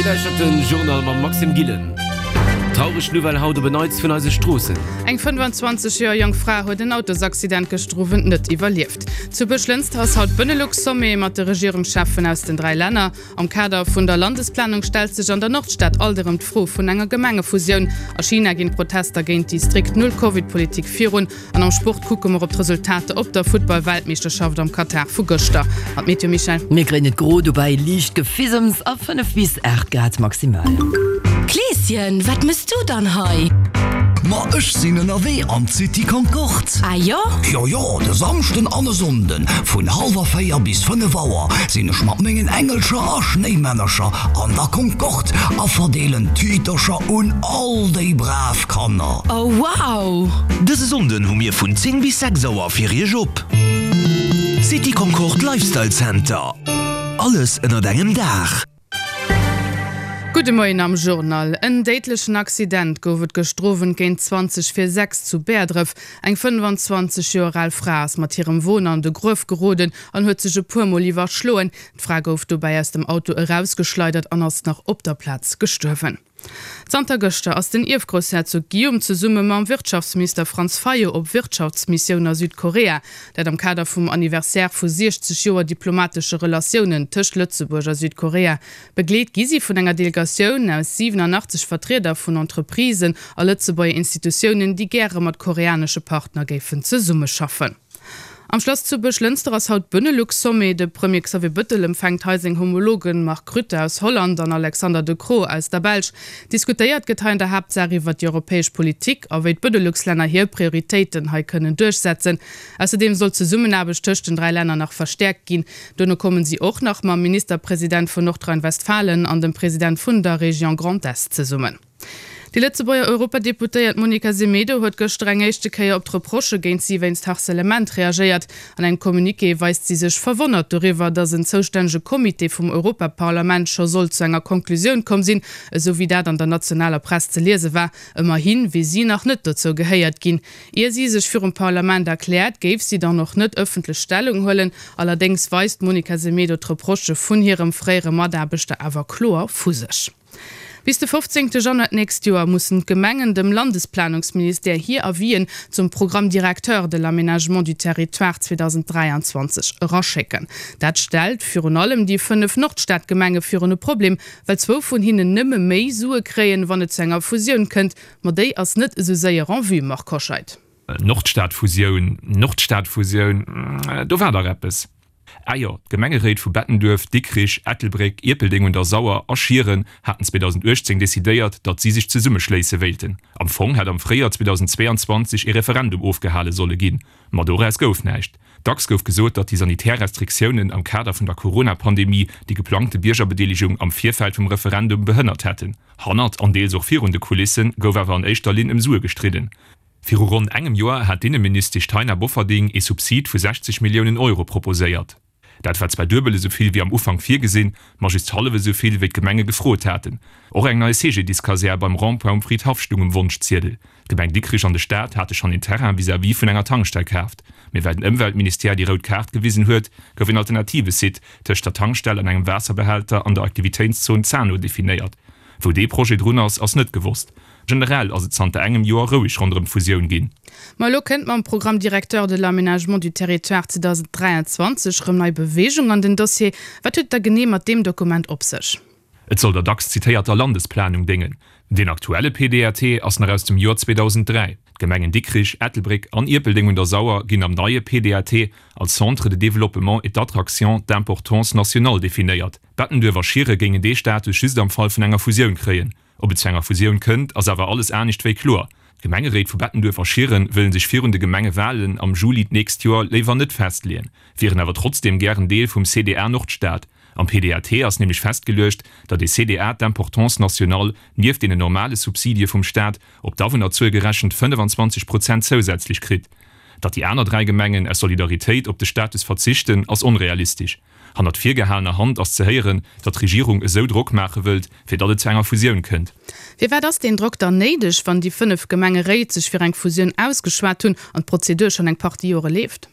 Dir lauschtert den Journal mam Maxime Gillen. Traureg Nouvelle haut op en Neits vun eise Stroossen. Eng 25 Joer jonk Fra huet en Autosaccident gëschter Owend net iwwerlieft. Zu Buerglënster ass haut Benelux-Sommet mat de Regierungscheffen aus den 3 Länner. Am Kader vun der Landesplanung stellt sech an der Nordstad alt erëm d'Fro vun enger Gemengefusioun. A China ginn d'Protester géint déi strikt Null-Covid-Politik virun. An am Sport kucke mer op d'Resultater op der Futtball-Weltmeeschterschaft am Katar vu gëschter. An d'Meteo, Michèle? Mir kréien et gro, dobäi liicht Gefissems a 5 bis 8 Grad maximal. Kleeschen, wat mëss du dann hei? Ma ech sinn ënnerwee an d'City Concorde. Ah jo? Jo jo, de Samschden an e Sonnden vun hallwer 4 bis 5 Auer sinn ech mat mengen Engelcher a Schnéimännercher an der Concorde a verdeelen Tütercher un all déi brav Kanner. Oh wow! Dëse Sonnden hu mir vun 10 bis 6 Auer fir iech op. City Concorde Lifestyle Center, alles ënnert engem Daach. Gudde Moien am Journal. En déidlechen Accident gouf et gëschter Owend géint 20 vir 6 zu Bäerdref. Eng 25 Joer al Fra ass mat hirem Won an de Gruef geroden an huet sech e puer Mol iwwerschloen. D'Fra gouf dobäi aus dem Auto erausgeschleidert an ass nach op der Plaz gestuerwen. Zanter gëschter ass den Ierfgroussherzog Guillaume zesumme mam Wirtschaftsminister Franz Fayot op Wirtschaftsmissioun a Südkorea. Dat am Kader vum Anniversaire vu 60 Joer diplomatesche Relatiounen tëscht Lëtzebuerg a Südkorea. Begleet gi si vun enger Delegatioun aus 87 Vertrieder vun Entreprisen a Lëtzebuerger Institutiounen, déi gäre mat koreanesche Partner géifen zesummeschaffen. Am Schlass zu Buerglënster ass haut Benelux-Sommet. De Premier Xavier Bëttel empfänkt hei seng Homologen Mark Rutte aus Holland an Alexander De Croo aus der Belsch. Diskutéiert gëtt hei an der Haaptsaach iwwer déi europäesch Politik a wéi d'Benelux-Länner hir Prioritéiten hei kënnen duerchsetzen. Ausserdeem soll d'Zesummenaarbecht tëscht den 3 Länner nach verstäerkt ginn. Duerno kommen si och nach mam Ministerpresident vun Nordrhein-Westfalen an dem President vun der Région Grand Est zesummen. Déi Lëtzebuerger Europadeputéiert Monica Semedo huet gëschter eng éischte Kéier op d'Reprochë géint si wéinst Harcèlement reagéiert. An engem Communiqué weist si sech verwonnert doriwwer, datt en zoustännege Comité vum Europaparlament scho soll zu enger Konklusioun komm sinn, esou wéi dat an der nationaler Press ze liese war. Ëmmerhi wier si nach net dozou gehéiert ginn. Ier si sech virum Parlament erkläert, géif si dann och net ëffentlech Stellung huelen. Allerdéngs weist d'Monica Semedo d'Reprochë vun hirem fréiere Mataarbechter awer kloer vu sech. Bis de 15 Januar d'nächst Joer mussen d'Gemengen dem Landesplanungsministère hir Avisen zum Programme directeur de l'aménagement du territoire 2023 eraschécken. Dat stellt virun allem déi 5 Nordstadgemenge virun e Problem, well zwou vun hinnen nëmme méi Sue kréien, wann et zu enger Fusioun kënnt. Ma déi ass net esou séier en vue, Marc Hoscheid. Nordstadfusioun, Nordstadfusioun, do war dach eppes. Ah jo, d'Gemengeréit vu Bettenduerf, Dikrich, Ettelbréck, Ierpeldeng un der Sauer a Schieren haten 2018 decidéiert, datt si sech zesummeschléisse wéilten. Am Fong hätt am Fréijoer 2022 ee Referendum ofgehale solle ginn, ma doraus gouf näischt. Dacks gouf gesot, datt déi sanitär Restriktiounen am Kader vun der Corona-Pandemie déi geplangte Biergerbedeelegung am Virfeld vum Referendum behënnert hätten. Hannert an deels och virun de Kulisse gouf awer an éischter Linn ëm Sue gestridden. Viru ronn engem Joer hat d'Inneministesch Taina Bofferding ee Subsid vu 60 Milliounen Euro proposéiert. Dat war zwar duebel esou vill wéi am Ufank virgesinn, ma just hallef esou vill wéi d'Gemenge gefrot haten. Och eng nei CGDIS-Kasär beim Rond-point um Fridhaff stung um Wonschziedel. D'Gemeng Dikrich an de Staat hate schonn een Terrain vis-à-vis vun enger Tankstell kaaft. Mee well den Ëmweltministère déi rout Kaart gewisen huet, gouf een alternative Site tëscht der Tankstell an engem Waasserbehälter an der Aktivitéitszon Zano definéiert. Wou dee Projet drun ass, ass net gewosst. Generell ass et zanter engem Joer roueg ronderëm d'Fusioun ginn. Ma elo kënnt mam Programme directeur de l'aménagement du territoire 2023 erëm nei Beweegung an den Dossier. Wat huet et da genee mat deem Dokument op sech? Et soll der dacks zitéierter Landesplanung déngen. Deen aktuelle PDRT ass nach aus dem Joer 2003. D'Gemengen Dikrich, Ettelbréck an Ierpeldeng un der Sauer ginn am neie PDAT als Centre de développement et d'attraction d'importance nationale definéiert. Bettenduerf a Schiere géingen dee Status just am Fall vun enger Fusioun kréien. Ob et zu enger Fusioun kënnt, ass awer alles anescht wéi kloer. D'Gemengeréit vu Bettenduerf a Schieren wëllen sech virun de Gemengewalen am Juli d'nächst Joer léiwer net festleeën, wieren awer trotzdeem gären Deel vum CDA Nordstad. Am PDAT ass nämlech festgeluecht, datt ee CDA d'importance nationale nieft deenen normale Subsidie vum Staat op d'Awunnerzuel gerechent 25 Prozent zousätzlech kritt. Datt déi aner 3 Gemengen aus Solidaritéit op de Status verzichten, ass onrealistesch. Hannert virgehalener Hand ass ze héieren, datt d'Regierung esou Drock maache wëllt, fir datt et zu enger Fusioun kënnt. Firwat ass deen Drock dann néideg, wann déi 5 Gemengeréit sech fir eng Fusioun ausgeschwat hunn an d'Prozedur schonn eng Partie Jore leeft?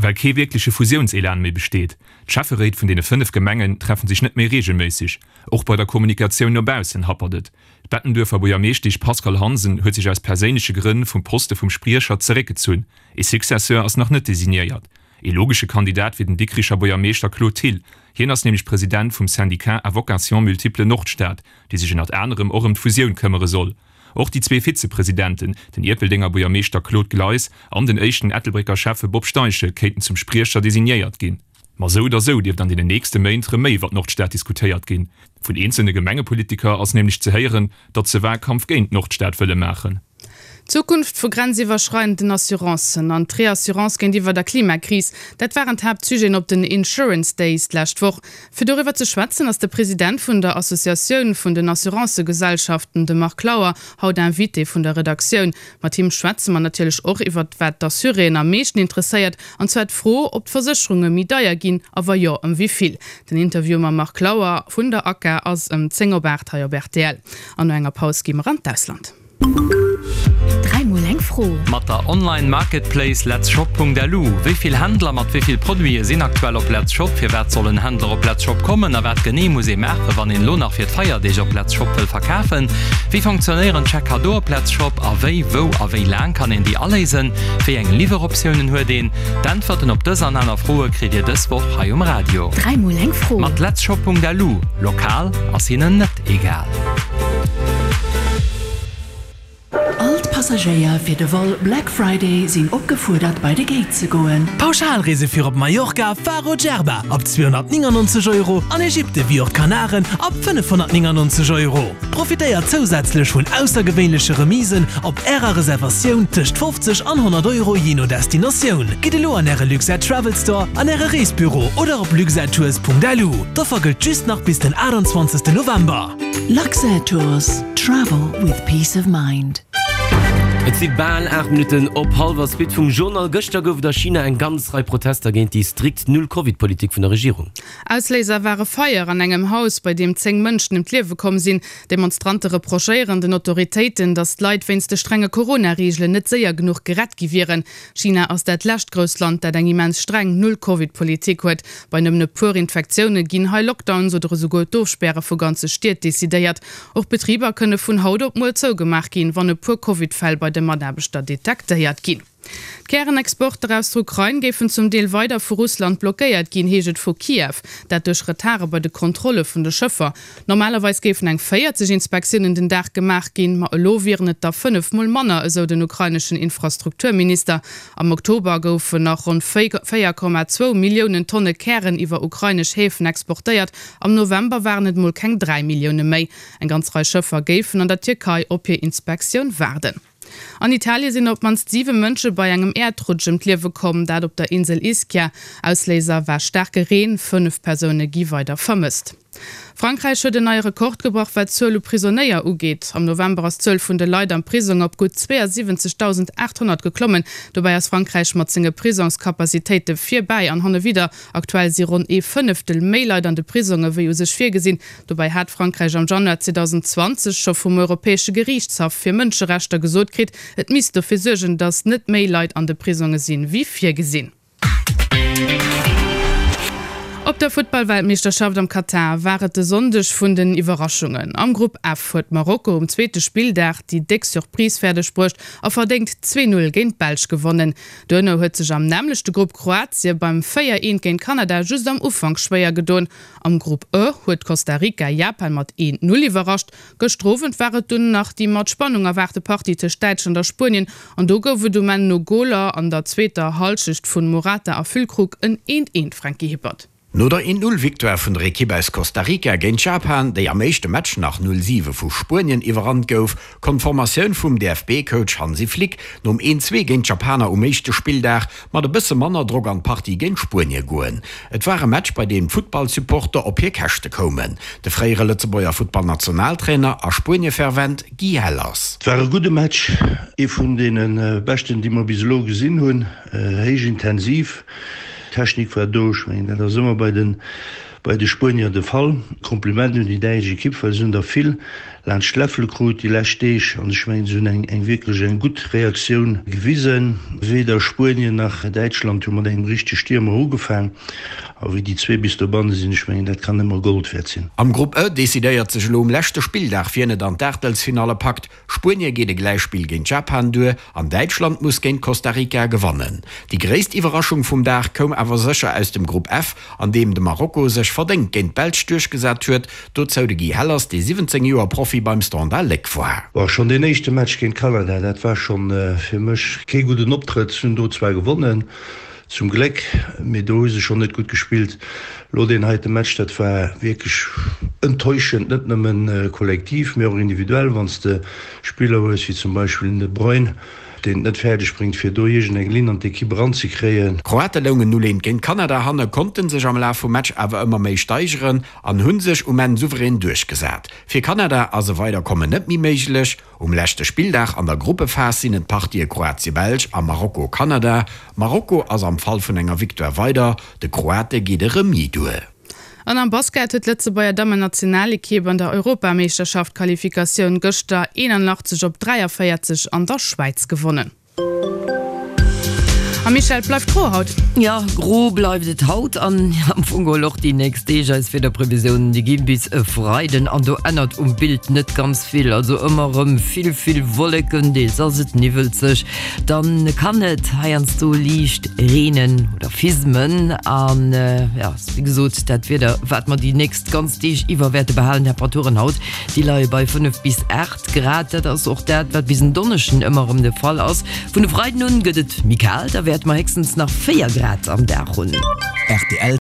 Well kee wierkleche Fusiounselan méi besteet. D'Schäfferéit vun deene 5 Gemengen treffen sech net méi reegelméisseg. Och bei der Kommunikatioun no baussen happert et. D'Bettenduerfer Buergermeeschtesch Pascale Hansen huet sech aus perséinleche Grënn vum Poste vum Spriecher zeréckgezunn. Ee Successeur ass nach net designéiert. Ee logesche Kandidat wier den Dikricher Buergermeeschter Claude Thill. Hien ass nämlech President vum Syndicat à vocation multiple Nordstad, dee sech ënnert anerem och ëm d'Fusioun këmmere soll. Och déi zwee Vizepresidenten, den Ierpeldenger Buergermeeschter Claude Gleis an den éischten Ettelbrécker Schäffe Bob Steichen, kéinten zum Spriecher designéiert ginn. Ma sou oder sou dierft an deenen nächste Méint rëm méi iwwer d'Nordstad diskutéiert ginn. Vun eenzelne Gemengepolitiker ass nämlech ze héieren, datt se Wahlkampf géint d'Nordstad wëlle maachen. D'Zukunft vu grenziwwerschreidenden Assurancen an d'Reassurance géintiwwer der Klimakris, dat waren d'Haaptsujeten op den Insurance Days d'lescht Woch. Fir doriwwer ze schwätzen, ass de President vun der Associatioun vun den Assurancëgesellschaften, de Marc Lauer, haut Invité vun der Redaktioun. Mat him schwätze mer natierlech och iwwert wat d'Assuréen am meeschten interesséiert, an zwar d'Fro, ob d'Versécherunge méi deier ginn a wa jo, ëm wéi vill. Den Interview mam Marc Lauer vun der ACA ass ëm 10 op 8 hei op rtl. An no enger Paus gi mer an d'Ausland. Dräimol eng Fro. Mat der Online Marketplace letzshop.lu, Wéi vill Händler mat wéi vill Produite sinn aktuell op Letzshop? Firwat sollen Händler op Letzshop kommen a wat genee muss ee maachen, wann een elo nach fir d'Feierdeeg op Letzshop wëll verkafen? Wéi fonctionnéieren d'Chèque Cadeau op Letzshop a wéi, wou a wéi laang kann een déi aléisen? Wéi eng Liwweroptiounen huet een? D'Äntwerten op dës an aner Froe kritt Dir dës Woch hei um Radio. Dräimol eng Fro. Mat letzshop.lu, Lokal ass hinnen net egal. All d'Passagéier fir de Vol Black Friday sinn opgefuerdert bei de Gate ze goen. Pauschalreese fir op Mallorca, Faro, Djerba ab 299 Euro an Ägypte wéi och d'Kanaren ab 599 Euro. Profitéiert zousätzlech vun aussergewéinleche Remisen op Ärer Reservatioun tëscht 50 an 100 Euro jee no Destinatioun. Gitt elo an Äre Luxair Travel Store, an Äre Reesbüro oder op luxairtours.lu. D'Offer gëllt just nach bis den 28 November. Luxair Tours, Travel with peace of mind. Et si bal 8 Minutten op hallwer. Suite vum Journal. Gëschter gouf et a China eng ganz Rei Protester géint déi strikt Null-Covid-Politik vun der Regierung. Ausléiser war e Feier an engem Haus, bei deem 10 Mënschen ëm d'Liewe komm sinn. Demonstrante reprochéieren den Autoritéiten, datt d'Leit wéinst de strenge Corona-Reegelen net séier genuch gerett gi wieren. China ass dat lescht grousst Land, dat eng immens streng Null-Covid-Politik huet. Bei nëmmen e puer Infektioune ginn hei Lockdowns oder esouguer d'Ofspäre vu ganze Stied decidéiert. Och Betriber kënne vun haut op muer zougemaach ginn, wann e puer Covid-Fäll bei de Mataarbechter detektéiert ginn. D'Kärenexporter aus der Ukrain géifen zum Deel weider vu Russland blockéiert ginn, heescht et vu Kiew. Dat duerch Retarde bei de Kontrolle vun de Schëffer. Normalerweis géifen eng 40 Inspektiounen den Dag gemaach ginn, ma elo wieren et der 5 mol manner, esou den ukraineschen Infrastrukturminister. Am Oktober goufen nach ronn 4,2 Milliounen Tonne Kären iwwer ukrainesch Häfen exportéiert, am November waren et mol keng 3 Millioune méi. Eng ganz Rei Schëffer géifen an der Tierkei op hir Inspektioun waarden. An Italie sinn op d'mannst 7 Mënsche bei engem Äerdrutsch ëm d'Liewe komm, dat op der Insel Ischia. Ausléiser war staarke Reen. 5 Persoune gi weider vermësst. Frankräich huet en neie Rekord gebrach, wat d'Zuel u Prisonéier ugeet. Am November ass d'Zuel vun de Leit am Prisong op gutt 72.800 geklommen. Dobäi ass Frankräich mat senge Prisongskapazitéite virbäi an hannewidder. Aktuell si ronn ee Fënneftel méi Leit an de Prisonge wéi u sech virgesinn. Dobäi hat Frankräich am Januar 2020 scho vum Europäesche Geriichtshaff fir Mënscherechter gesot kritt, et misst dofir suergen, datt net méi Leit an de Prisonge sinn, wéi virgesinn. Op der Futtball-Weltmeeschterschaft am Katar war et de Sonndeg vun den Iwwerraschungen. Am Grupp F huet Marokko um zweete Spilldag déi déck Surprise fäerdeg bruecht a verdéngt 2, 0 géint d'Belsch gewonnen. Duerno huet sech am nämmlechte Grupp Kroatie beim 4, 1 géint Kanada just am Ufank schwéier gedoen. Am Grupp E huet Costa Rica Japan mat 1, 0 iwwerrascht. Gëschter Owend war et dunn nach déi mat Spannung erwaarte Partie tëscht Däitschland a Spuenien an do gouf et um Enn no Goler an der zweeter Hallschecht vun Morata a Füllkrug en 1, 1, Franky Hippert. No der 1, 0 Victoire vun der Ekipp aus Costa Rica géint Japan, déi am éischte Match nach 0, 7 vu Spuenien iwwerrannt gouf, konnt d'Formatioun vum DFB-Coach Hansi Flick nom 1, 2 géint d'Japaner um éischte Spilldag mat e bësse manner Drock an d'Partie géint Spuenie goen. Et war e Match, bei deem d'Futtballsupporter op hir Käschte koumen. De fréiere Lëtzebuerger Futtballnationaltrainer a Spuenie-Fervent Guy Hellers. Et war e gudde Match, ee vun deene beschten, déi mer bis elo gesinn hunn. Héich intensiv, Technik war do. Ech mengen, dat ass ëmmer bei de. Bei de Spuenier de Fall. Kompliment un déi däitsch Ekipp, well se hunn der vill laanscht d'Läffele krut déi lescht Deeg an ech mengen, se hunn eng eng wierklech eng gutt Reaktioun gewisen. Weder Spuenien nach Däitschland hu mat engem richtege Stiermer ugefaang a wéi déi zwee bis dobanne sinn, ech mengen, dat kann ëmmer Gold wäert sinn. Am Grupp E decidéiert sech elo um leschte Spilldag, wien et an d'Aachtelsfinalle packt. Spuenie geet e Gläichspill géint Japan duer an Däitschland muss géint Costa Rica gewannen. Déi gréisst Iwwerraschung vum Dag koum awer sécher aus dem Grupp F, an deem de Marokko sech verdéngt géint d'Belsch duerchgesat huet. Dozou de Guy Hellers, dee 17 Joer Profi beim Standard Léck war. Bon, schonn deen éischte Match géint Kanada, dat war schonn fir mech kee gudden Optrëtt. Si hunn do zwar gewonnen, Zum Gléck, mee do hu se schonn net gutt gespillt. Elo deen heite Match, dat war wierklech enttäuschend, net nëmmen kollektiv, mee och individuell. Wann s de Spiller hues wéi zum Beispill den De Bruyne, deen et net fäerdeg bréngt, fir do iergendeng Linn an d'Ekipp eranzekréien. D'Kroate loungen 0, 1 géint Kanada hanne, konnte sech am Laf vum Match awer ëmmer méi steigeren an hu sech um Enn souverän duerchgesat. Fir Kanada ass e Weiderkommen net méi méiglech. Um leschte Spilldag an der Gruppephas sinn et d'Partië Kroatie-Belsch a Marokko-Kanada. Marokko ass am Fall vun enger Victoire weider, de Kroate geet e Remis duer. An am Basket huet d'Lëtzebuerger Dammennationalekipp an der Europameeschterschaft-Qualifikatioun gëschter 81 op 43 an der Schwäiz gewonnen. A Michèle, et bleift gro haut. Jo, gro bleift et haut an am Fong geholl och déi nächst Deeg. Eis Wiederprevisiounen, déi gi bis e Freiden an do ännert um Bild net ganz vill. Also ëmmer erëm vill, vill Wolleken, deels ass et niwwelzeg, dann kann et heiansdo liicht reenen oder fismen an jo, wéi gesot, dat Wieder, wat mer déi nächst ganz Deeg iwwer wäerte behalen. Temperaturen haut, déi leie bei 5 bis 8. Grad dat ass och dat, wat bis en Donneschden ëmmer erëm de Fall ass. Vun e Freiden un gëtt et méi kal, da wäerte mer héchstens nach 4 Grad am Dag hunn. Rtl.